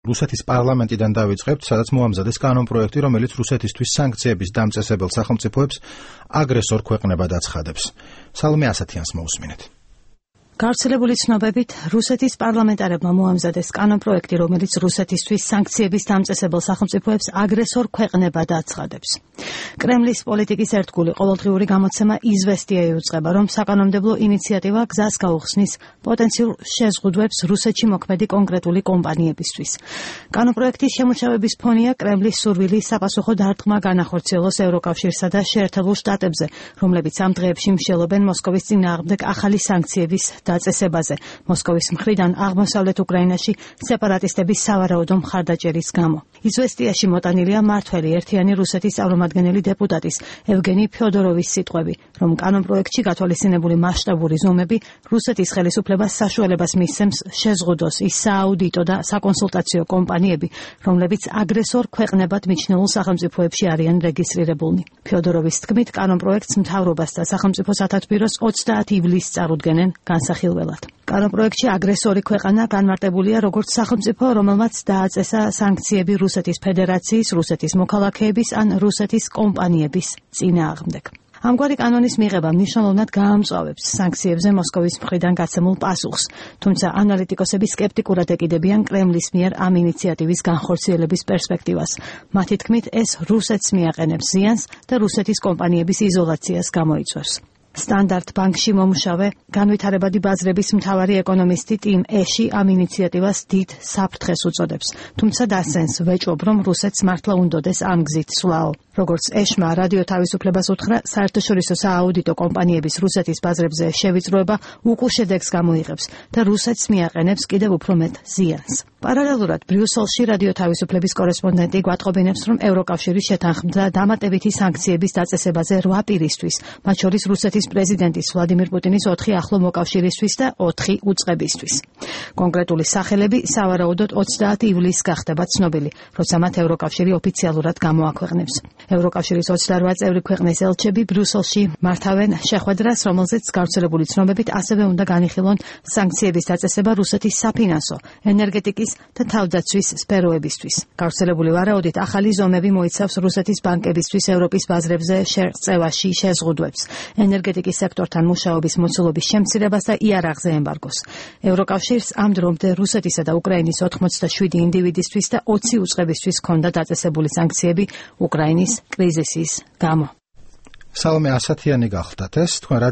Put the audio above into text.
რუსეთის პარლამენტიდან დავიწყებთ, სადაც მოამზადეს კანონპროექტი, რომელიც რუსეთისთვის სანქციების დამწესებელ სახელმწიფოებს აგრესორ ქვეყნებად აცხადებს. სალომე ასათიანს მოусმინეთ. გავრცელებული ცნობებით, რუსეთის პარლამენტარებმა მოამზადეს კანონპროექტი, რომელიც რუსეთისთვის სანქციების დამწესებელ სახელმწიფოებს აგრესორ ქვეყნებად აცხადებს. კრემლის პოლიტიკის ერთგული ყოველდღიური გამოცემა „იზვესტია“ იუწყება, რომ საკანონმდებლო ინიციატივა გზას გაუხსნის პოტენციურ შეზღუდვებს რუსეთში მოქმედი კონკრეტული კომპანიებისთვის. კანონპროექტის შემუშავების ფონია კრემლის სურვილი საპასუხო დარტყმა განახორციელოს ევროკავშირსა და შეერთებულ შტატებზე, რომლებიც ამ დღეებში მსჯელობენ მოსკოვის წინააღმდეგ ახალი სანქციების დაწესებაზე, მოსკოვის მხრიდან აღმოსავლეთ უკრაინაში სეპარატისტების სავარაუდო მხარდაჭერის გამო. იზვესტიაში მოტანილია მართველი ერთიანი რუსეთის წარმომადგენელი დეპუტატის ევგენი ფიოდოროვის სიტყვები, რომ კანონპროექტში გათვალისწინებული მასშტაბური ზომები რუსეთის ხელისუფლებას საშუალებას მისცემს შეზღუდოს ის სააუდიტო და საკონსულტაციო კომპანიები, რომლებიც აგრესორ ქვეყნებად მიჩნეულ სახელმწიფოებში არიან რეგისტრირებულნი. ფიოდოროვის თქმით, კანონპროექტს მთავრობას და სახელმწიფო სათათბიროს 30 ივლისს წარუდგენენ განსახილველად. კანონპროექტში აგრესორი ქვეყანა განმარტებულია როგორც სახელმწიფო, რომელმაც დააწესა სანქციები რუსეთის ფედერაციის, რუსეთის მოქალაქეების ან რუსეთის კომპანიების წინააღმდეგ. ამგვარი კანონის მიღება მნიშვნელოვნად გაამწვავებს სანქციებზე მოსკოვის მხრიდან გაცემულ პასუხს, თუმცა ანალიტიკოსები სკეპტიკურად ეკიდებიან კრემლის მიერ ამ ინიციატივის განხორციელების პერსპექტივას. მათი თქმით, ეს რუსეთს მიაყენებს ზიანს და რუსეთის კომპანიების იზოლაციას გამოიწვევს. სტანდარტ ბანკში მომუშავე განვითარებადი ბაზრების მთავარი ეკონომისტი ტიმ ეში ამ ინიციატივას დიდ საფრთხეს უწოდებს, თუმცა დასცენს ვეჭვობ, რომ რუსეთს მართლა უნდოდეს ამ გზით სვლაო. როგორც ეშმა რადიო თავისუფლებას უთხრა, საერთაშორისო სააუდიტო კომპანიების რუსეთის ბაზრებზე შევიწროება უკულ შედეგს გამოიღებს და რუსეთს მიაყენებს კიდევ უფრო მეტ ზიანს. პარალელურად ბრიუსელში რადიო თავისუფლების კორესპონდენტი გვატყობინებს, რომ ევროკავშირი შეთანხმდა დამატებითი სანქციების დაწესებაზე 8 პირისთვის, მათ შორის რუსეთის პრეზიდენტის ვლადიმირ პუტინის 4 ახლო მოკავშირისთვის და 4 უწყებისთვის. კონკრეტული სახელები სავარაუდოდ 30 ივლისს გახდება ცნობილი, როცა მათ ევროკავშირი ოფიციალურად გამოაქვეყნებს. ევროკავშირის 28 წევრი ქვეყნის ელჩები ბრიუსელში მართავენ შეხვედრას, რომელზეც გავრცელებული ცნობებით ასევე უნდა განიხილონ სანქციების დაწესება რუსეთის საფინანსო, ენერგეტიკის და თავდაცვის სფეროებისთვის. გავრცელებული ვარაუდით, ახალი ზომები მოიცავს რუსეთის ბანკებისთვის ევროპის ბაზრებზე შერწევაში შეზღუდვებს, ენერგეტიკის სექტორთან მუშაობის მოცულობის შემცირებას და იარაღზე ემბარგოს. ევროკავშირს ამ დრომდე რუსეთისა და უკრაინის 87 ინდივიდისთვის და 20 უწყებისთვის ჰქონდა დაწესებული სანქციები უკრაინის კრიზისის გამო. სალომე ასათიანი გახლდათ ეს თქვენ